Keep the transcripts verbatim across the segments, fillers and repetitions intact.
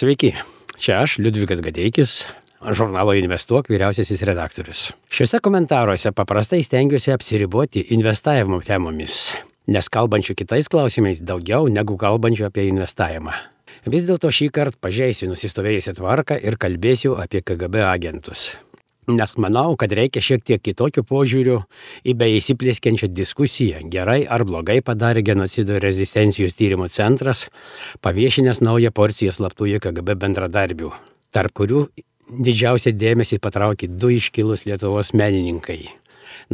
Sveiki, čia aš, Liudvikas Gadeikis, žurnalo Investuok vyriausiasis redaktorius. Šiuose komentaruose paprastai stengiuosi apsiriboti investavimo temomis, nes kalbančių kitais klausimais daugiau negu kalbančių apie investavimą. Vis dėlto šį kartą pažeisiu nusistovėjusią tvarką ir kalbėsiu apie K G B agentus. Nes manau, kad reikia šiek tiek kitokio požiūrių į beįsiplėskiančią diskusiją, gerai ar blogai padarė genocido ir rezistencijos tyrimo centras, paviešinęs naują porciją slaptųjų K G B bendradarbių, tarp kurių didžiausią dėmesį patraukė du iškilūs Lietuvos menininkai,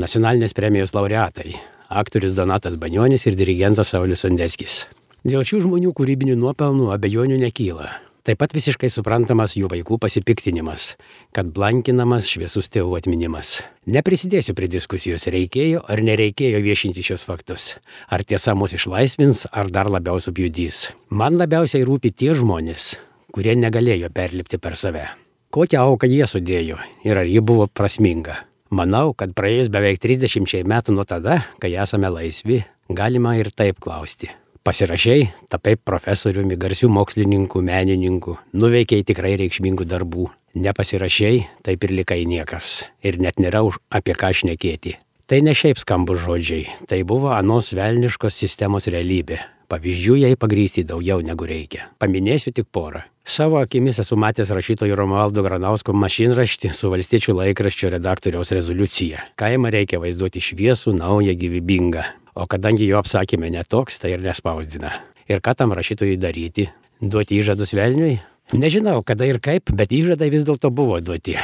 nacionalinės premijos laureatai, aktorius Donatas Banionis ir dirigentas Saulius Sondeckis. Dėl šių žmonių kūrybinių nuopelnų abejonių nekyla. Taip pat visiškai suprantamas jų vaikų pasipiktinimas, kad blankinamas šviesus tėvų atminimas. Neprisidėsiu prie diskusijos, reikėjo ar nereikėjo viešinti šios faktus. Ar tiesa mus išlaisvins, ar dar labiau subjudys. Man labiausiai rūpi tie žmonės, kurie negalėjo perlipti per save. Kokią auką jie sudėjo ir ar ji buvo prasminga. Manau, kad praėjus beveik trisdešimčiai metų nuo tada, kai esame laisvi, galima ir taip klausti. Pasirašei, tapai profesoriumi, garsių mokslininkų, menininkų, nuveikei tikrai reikšmingų darbų. Nepasirašei, taip ir likai niekas. Ir net nėra už apie ką šnekėti. Tai ne šiaip skambus žodžiai, tai buvo anos velniškos sistemos realybė. Pavyzdžių jai pagrysti daugiau negu reikia. Paminėsiu tik porą. Savo akimis esu matęs rašytojo Romualdo Granausko mašinraštį su Valstiečių laikraščio redaktoriaus rezoliucija. Kaimą reikia vaizduoti šviesų, naują, gyvybingą. O kadangi jo apsakymė netoks, tai ir nespausdina. Ir ką tam rašytojui daryti? Duoti įžadus velniui? Nežinau, kada ir kaip, bet įžadai vis dėlto buvo duoti.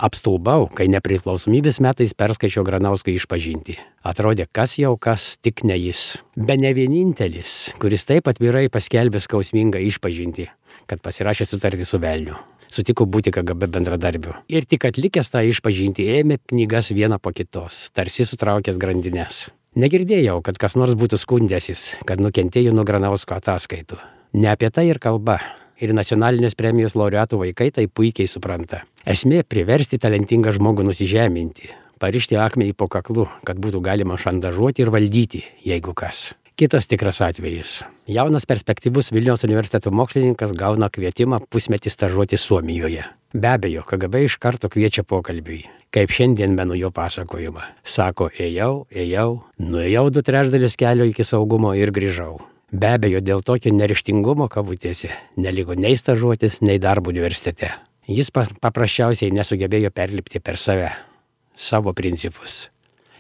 Apstulbau, kai nepriklausomybės metais perskaičiau Granausko išpažintį. Atrodė, kas jau kas, tik ne jis. Be ne vienintelis, kuris taip atvirai paskelbė skausmingą išpažintį, kad pasirašė sutartį su velniu. Sutiko būti K G B bendradarbiu. Ir tik atlikęs tą išpažintį ėmė knygas vieną po kitos, tarsi sutraukęs grandines. Negirdėjau, kad kas nors būtų skundęsis, kad nukentėjo nuo Granausko ataskaitų. Ne apie tai ir kalba. Ir nacionalinės premijos laureatų vaikai tai puikiai supranta. Esmė priversti talentingą žmogų nusižeminti, parišti akmenį po kaklu, kad būtų galima šantažuoti ir valdyti, jeigu kas. Kitas tikras atvejis. Jaunas perspektyvus Vilniaus universiteto mokslininkas gauna kvietimą pusmetį stažuoti Suomijoje. Be abejo, K G B iš karto kviečia pokalbiui, kaip šiandien menu jo pasakojimą. Sako, ėjau, ėjau, nuėjau du trečdalis kelio iki saugumo ir grįžau. Be abejo, dėl tokio neryžtingumo kabutėse neliko nei stažuotis, nei darbo universitete. Jis paprasčiausiai nesugebėjo perlipti per save, savo principus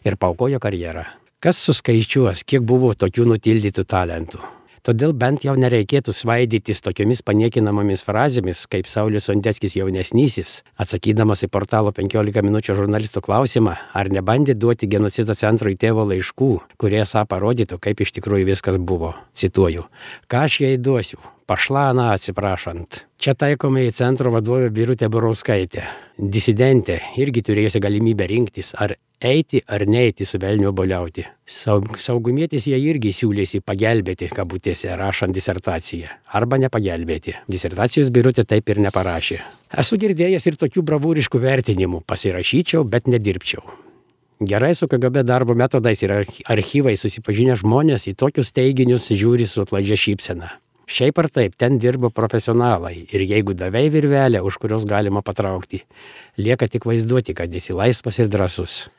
ir paaukojo karjerą. Kas suskaičiuos, kiek buvo tokių nutildytų talentų? Todėl bent jau nereikėtų svaidytis tokiomis paniekinamomis frazėmis, kaip Saulius Sondeckis jaunesnysis, atsakydamas į portalo penkiolika minučių žurnalistų klausimą, ar nebandė duoti genocido centrui tėvo laiškų, kurie esą parodytų, kaip iš tikrųjų viskas buvo. Cituoju, ką aš jai duosiu? Pašlana atsiprašant. Čia taikome į centro vadovę Birutę Burauskaitę. Disidentė irgi turėjusi galimybę rinktis, ar eiti ar neiti su velniu obuoliauti. Saugumietis jie irgi siūlėsi pagelbėti, kabutėse, rašant disertaciją. Arba nepagelbėti. Disertacijos Birutė taip ir neparašė. Esu girdėjęs ir tokių bravūriškų vertinimų. Pasirašyčiau, bet nedirbčiau. Gerai su K G B darbo metodais ir archyvai susipažinę žmonės į tokius teiginius žiūri su atlaidžia šypsena. Šiaip ar taip, ten dirbo profesionalai ir jeigu davei virvelę, už kurios galima patraukti, lieka tik vaizduoti, kad esi laisvas ir drąsus.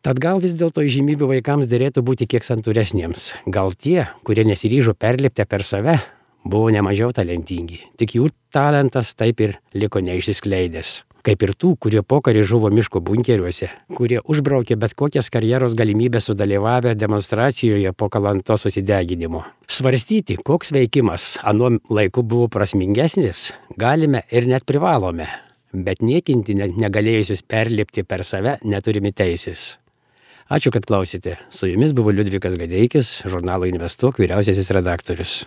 Tad gal vis dėlto įžymybių vaikams dėrėtų būti kiek santūresniems. Gal tie, kurie nesiryžo perlipti per save, buvo nemažiau talentingi. Tik jų talentas taip ir liko neišsiskleidęs. Kaip ir tų, kurie pokarį žuvo miško bunkeriuose, kurie užbraukė bet kokias karjeros galimybės sudalyvavę demonstracijoje po Kalantos susideginimo. Svarstyti, koks veikimas anuo laiku buvo prasmingesnis, galime ir net privalome, bet niekinti negalėjusius perlipti per save neturime teisės. Ačiū, kad klausėte. Su jumis buvo Liudvikas Gadeikis, žurnalo Investuok vyriausiasis redaktorius.